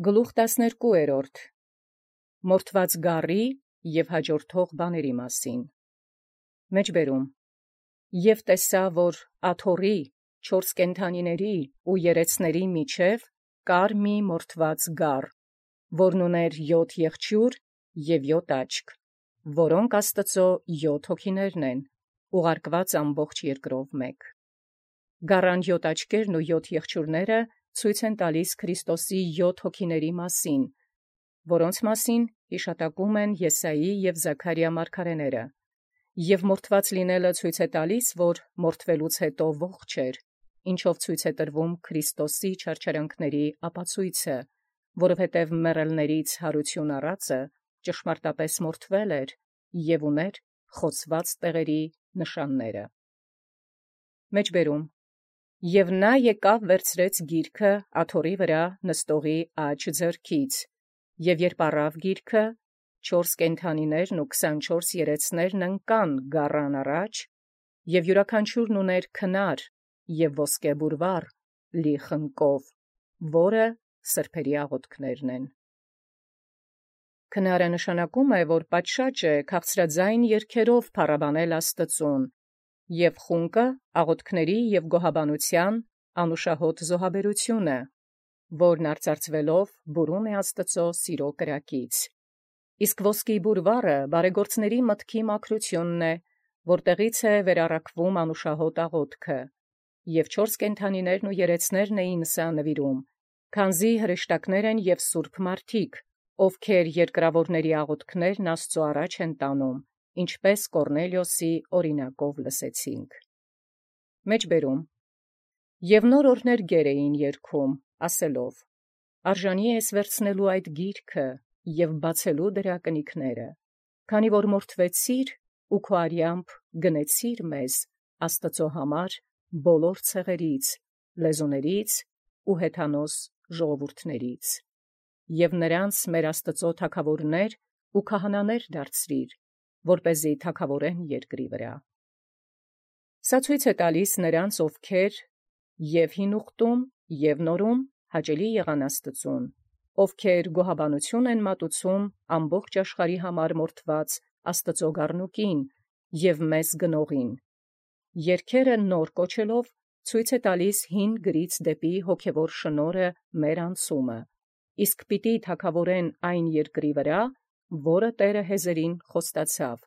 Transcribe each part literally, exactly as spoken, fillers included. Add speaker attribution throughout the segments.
Speaker 1: Գլուխ տասներկուերորդ Մորթված գառի և հաջորդող բաների մասին։ Մեջբերում Եւ տեսա, որ աթոռի, չորս կենդանիների ու երեցների միջև կար մի մորթված գառ, որն ուներ յոթ եղջյուր և յոթ աչք, որոնք Աստուծոյ յոթ հոգիներն են, ուղարկված ամբողջ երկրով մեկ։ Գառան յոթ աչքերն ու յոթ եղջյուրները ցույց են տալիս Քրիստոսի յոթ հոգիների մասին, որոնց մասին հիշատակում են Եսայի և Զաքարիա մարգարեները, և մորթված լինելը ցույց է տալիս, որ մորթվելուց հետո ողջ էր, ինչով ցույց է տրվում Քրիստոսի չարչարանքների ապացույցը, որովհետև մեռելներից յարություն առածը ճշմարտապես մորթվել էր և ուներ խոցված տեղերի նշանները։ Մեջբերում Եւ նա եկավ վերցրեց գիրքը աթոռի վրա նստողի աջ ձեռքից, և երբ առավ գիրքը, չորս կենդանիներն ու քսանչորս երեցներն ընկան գառան առաջ, և յուրաքանչյուրն ուներ քնար և ոսկե բուրվառ լի խնկով, որը սրբերի աղոթքներն են։ Քնարը նշանակում է, որ պատշաճ է քաղցրաձայն երգերով փառաբանել Աստուծուն, և խունկը աղոթքների և գոհաբանության անուշահոտ զոհաբերությունը, որն արծարծվելով բուրում է Աստուծոյ սիրո կրակից։ Իսկ ոսկի բուրվառը բարեգործների մտքի մաքրությունն է, որտեղից է վերառակվում անուշահոտ աղոթքը, և չորս կենդանիներն ու երեցներն էին սա նվիրում, քանզի հրեշտակներ են և սուրբ մարդիկ, ովքեր երկրավորների աղոթքներն Աստուծոյ առաջ են տանում, ինչպես Կոռնելիոսի օրինակով լսեցինք։ Մեջբերում Եւ նոր օրհներ գեր էին երգում, ասելով. «Արժանի ես վերցնելու այդ գիրքը և բացելու դրա կնիքները, քանի որ մորթվեցիր ու քո արյամբ գնեցիր մեզ Աստուծոյ համար բոլոր ցեղերից, լեզուներից ու հեթանոս ժողովուրդներից, և նրանց մեր Աստուծոյ թագաւորներ ու քահանաներ դարձրիր, որպեսզի թագաւորեն երկրի վրա»։ Սա ցույց է տալիս նրանց, ովքեր և հին ուխտում և նորում հաճելի եղան Աստուծուն, ովքեր գոհաբանություն են մատուցում ամբողջ աշխարհի համար մորթված Աստուծոյ գառնուկին և մեզ գնողին, երգերը նոր կոչելով ցույց է տալիս հին գրից դեպի հոգևոր շնորհը մեր անցումը, իսկ պիտի թագաւորեն այն երկրի վրա, որը Տէրը հեզերին խոստացավ,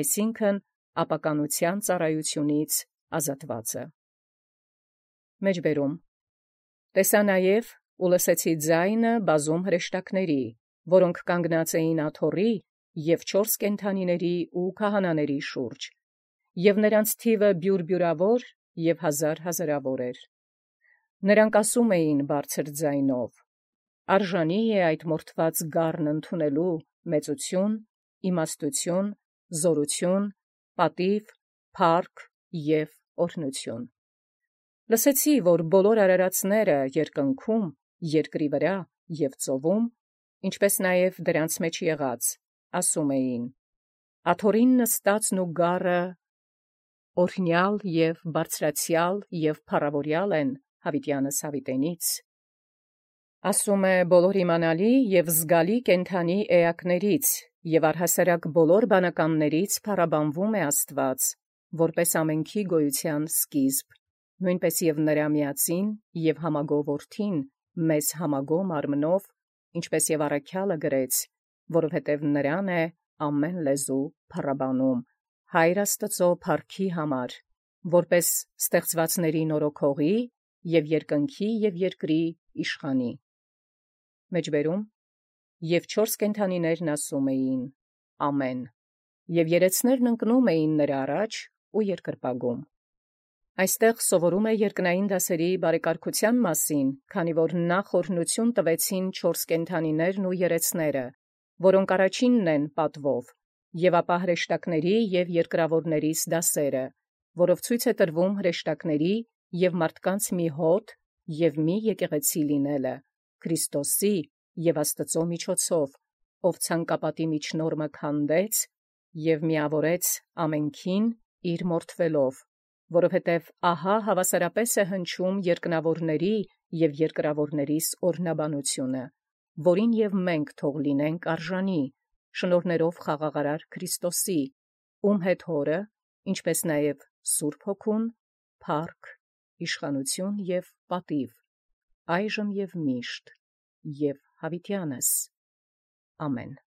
Speaker 1: այսինքն ապականության ծառայությունից ազատվածը։ Մեջբերում Տեսա նաև ու լսեցի ձայնը բազում հրեշտակների, որոնք կանգնած էին աթոռի և չորս կենդանիների ու քահանաների շուրջ, և նրանց թիվը բյուրբյուրավոր և հազար հազարավոր էր։ Նրանք ասում էին բարձր ձայնով. «Արժանի է այդ մորթված գառն ընդունելու մեծություն, իմաստություն, զորություն, պատիւ, փառք և օրհնություն»։ Լսեցի, որ բոլոր արարածները երկնքում, երկրի վրա և ծովում, ինչպես նաև դրանց մեջ եղած, ասում էին. «Աթոռին նստածն ու գառը օրհնյալ և բարձրացյալ և փառաւորյալ են յաւիտեանս յաւիտենից։ Ասում է բոլոր իմանալի և զգալի կենդանի էակներից և առհասարակ բոլոր բանականաց փառաբանվում է Աստուած, որպես ամենքի գոյութեան սկիզբ, նոյնպէս և նրա միածին և համագով Որդին մեզ համագոյ մարմնով, ինչպես և առաքյալը գրեց, որովհետև նրան է ամեն լեզու փառաբանում, Հայր Աստուծոյ փառքի համար, որպես ստեղծվածների նորոգողի և երկնքի և երկրի իշխանի։ Մեջբերում Եւ չորս կենդանիներն ասում էին. «Ամեն», և երեցներն ընկնում էին նրա առաջ ու երկրպագում։ Այստեղ սովորում է երկնային դասերի բարեկարգության մասին, քանի որ նախ օրհնություն տվեցին չորս կենդանիներն ու երեցները, որոնք առաջինն են պատվով, և ապա հրեշտակների և երկրավորներիս դասերը, որով ցույց է տրվում հրեշտակների և մարդկանց մի հոտ և մի եկեղեցի լինելը, Քրիստոսի և Աստուծոյ միջոցով, ով ցանկապատի միջնորմը քանդեց և միավորեց ամենքին իր մորթվելով, որովհետև ահա հավասարապես է հնչում երկնավորների և երկրավորներիս օրհնաբանությունը, որին և մենք թող լինենք արժանի, շնորհներով խաղաղարար Քրիստոսի, ում հետ հորը, ինչպես նաև Սուրբ Հոգուն, փառք, իշխանություն և պատիվ, այժմ և միշտ, և յաւիտյանս. ամեն։